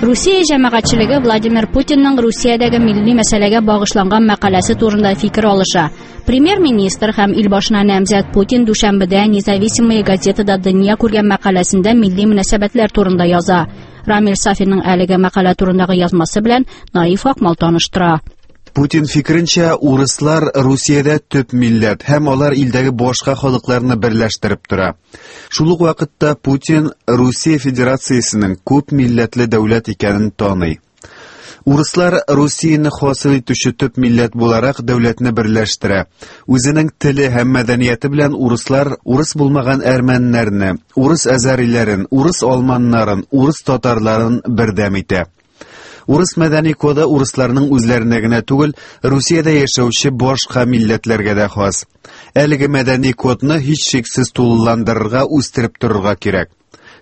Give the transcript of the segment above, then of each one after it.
Русия җәмәгатьчелеге Владимир Путинның Русиядәге милли мәсьәләгә багышланган мәкаләсе турында фикер алыша. Премьер-министр һәм илбашына намзәт Путин дүшәмбедә Независимая газетада дөнья күргән мәкаләсендә милли мөнәсәбәтләр турында яза. Рамил Сафинның әлеге мәкалә турындагы язмасы белән Наиф Акмал таныштыра. Путин фикеренчә, урыслар Русиядә төп милләт һәм алар илдәге башка халыкларны берләштереп тора. Шул ук вакытта Путин Русия Федерациясенең күп милләтле дәүләт икәнен таный. Урыслар Русияне хасил итүче төп милләт буларак дәүләтне берләштерә. Үзенең теле һәм мәдәнияте белән урыслар урыс булмаган әрмәннәрне, урыс әзәриләрен, урыс алманнарын, урыс татарларын бердәм итә. Урыс мәдәни коды урысларның үзләренә генә түгел, Русиядә яшәүче башка милләтләргә дә хас. Әлеге мәдәни кодны һичшиксез тулыландырырга, үстереп торырга кирәк.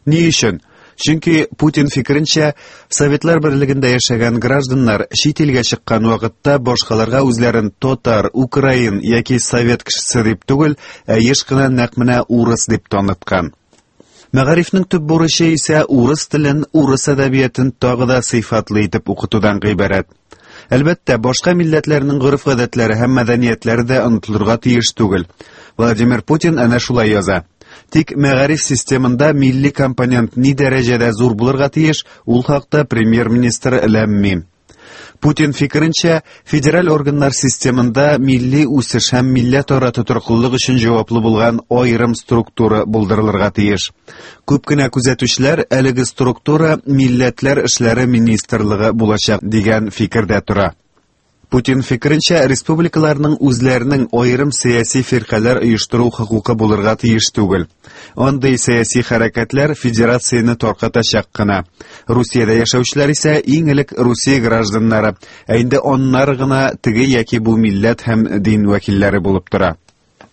Ни өчен? Чөнки Путин фикеренчә, Советлар берлегендә яшәгән гражданнар чит илгә чыккан вакытта башкаларга үзләрен татар, украин яки совет кешесе дип түгел, ә еш кына нәкъ менә урыс дип таныткан. Мәгарифнең төп бурычы исә урыс телен, урыс әдәбиятын тагы да сыйфатлы итеп укытудан гыйбарәт. Әлбәттә, башка милләтләрнең гореф-гадәтләре һәм мәдәниятләре дә онытылырга тиеш түгел. Владимир Путин әнә шулай яза. Тик мәгариф системында милли компонент ни дәрәҗәдә зур булырга тиеш, ул хакта премьер-министр ләм-мим. Путин фикеренчә, федераль органнар системында милли үсеш һәм милләтара тотрыклылык өчен җаваплы булган аерым структура булдырылырга тиеш. Күп кенә күзәтүчеләр әлеге структура Милләтләр эшләре министрлыгы булачак дигән фикердә тора. Путин фикеренчә, республикаларның үзләренең аерым сәяси фиркаләр оештыру хокукы булырга тиеш түгел. Андый сәяси хәрәкәтләр федерацияне таркатачак кына. Русиядә яшәүчеләр исә иң элек Русия гражданнары, ә инде аннары гына теге яки бу милләт һәм дин вәкилләре булып тора.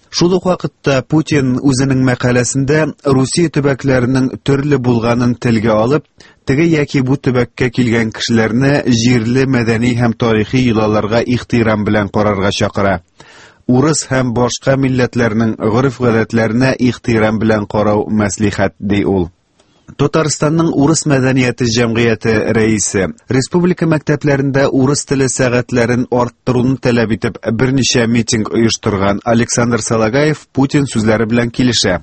Шул ук вакытта Путин үзенең мәкаләсендә Русия төбәкләренең төрле булганын телгә алып, теге яки бу төбәккә килгән кешеләрне җирле мәдәни һәм тарихи йолаларга ихтирам белән карарга чакыра. Урыс һәм башка милләтләрнең гореф-гадәтләренә ихтирам белән карау мәслихәт, ди ул. Татарстанның урыс мәдәнияте җәмгыяте рәисе республика мәктәпләрендә урыс теле сәгатьләрен арттыруны таләп итеп берничә митинг оештырган Александр Салагаев Путин сүзләре белән килешә.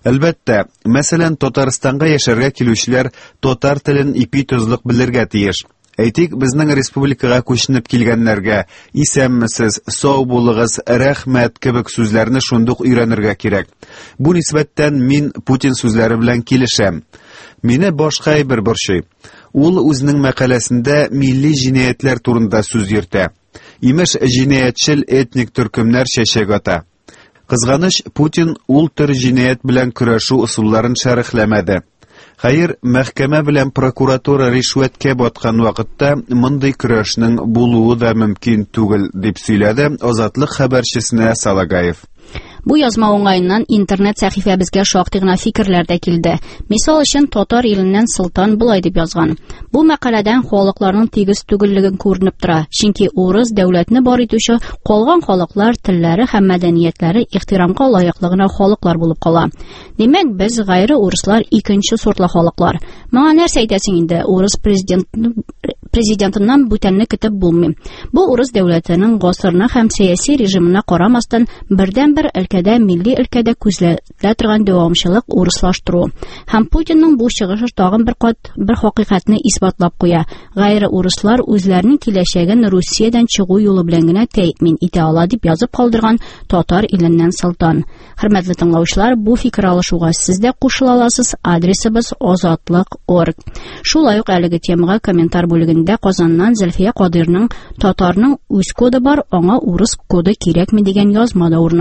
Әлбәттә, мәсәлән, Татарстанга яшәргә килүчеләр татар телен ипи-тозлык белергә тиеш. Әйтик, безнең республикага күченеп килгәннәргә исәнмесез, сау булыгыз, рәхмәт кебек сүзләрне шундук өйрәнергә кирәк. Бу нисбәттән мин Путин сүзләре белән килешәм. Мине башка әйбер борчый. Ул үзенең мәкаләсендә милли җинаятьләр турында сүз йөртә. Имеш, җинаятьчел этник төркемнәр чәчәк ата. Кызганыч, Путин ул төр җинаять белән көрәшү ысулларын шәрехләмәде. Хәер, мәхкәмә белән прокуратура ришвәткә баткан вакытта мондый көрәшнең булуы да мөмкин түгел, дип сөйләде Азатлык хәбәрчесенә Салагаев. Бу язма уңаеннан интернет сәхифәбезгә шактый гына фикерләр дә килде. Мисал өчен, Татар иленнән Солтан болай дип язган. Бу мәкаләдән халыкларның тигез түгеллеген күренеп тора. Чөнки урыс дәүләтне бар итүче калган халыклар телләре һәм мәдәниятләре ихтирамга лаеклы гына халыклар булып кала. Димәк, без гайре урыслар икенче сортлы халыклар. Моңа нәрсә әйтәсең инде? Урыс президент президентыннан бүтәнне көтеп булмый. Бу урыс дәүләтенең гасырына һәм сәяси режимына карамастан, бердәнбер өлкәдә милли өлкәдә күзәтелә торган дәвамчылык урыслаштыру. Һәм Путинның бу чыгышы тагын бер кат бер хакыйкатьне исбатлап куя. Гайре урыслар үзләренең киләчәген Русиядән чыгу юлы белән генә тәэмин итә ала дип язып калдырган Татар иленнән Солтан. Хөрмәтле тыңлаучылар, бу фикер алышуга сез дә кушыла аласыз. Адресыбыз озатлык.орг. Шулай ук әлеге темага комментар бүлегендә Казаннан Зөлфия Кадыйрның Татарның үз коды бар, аңа урыс коды кирәкми дигән язма да урын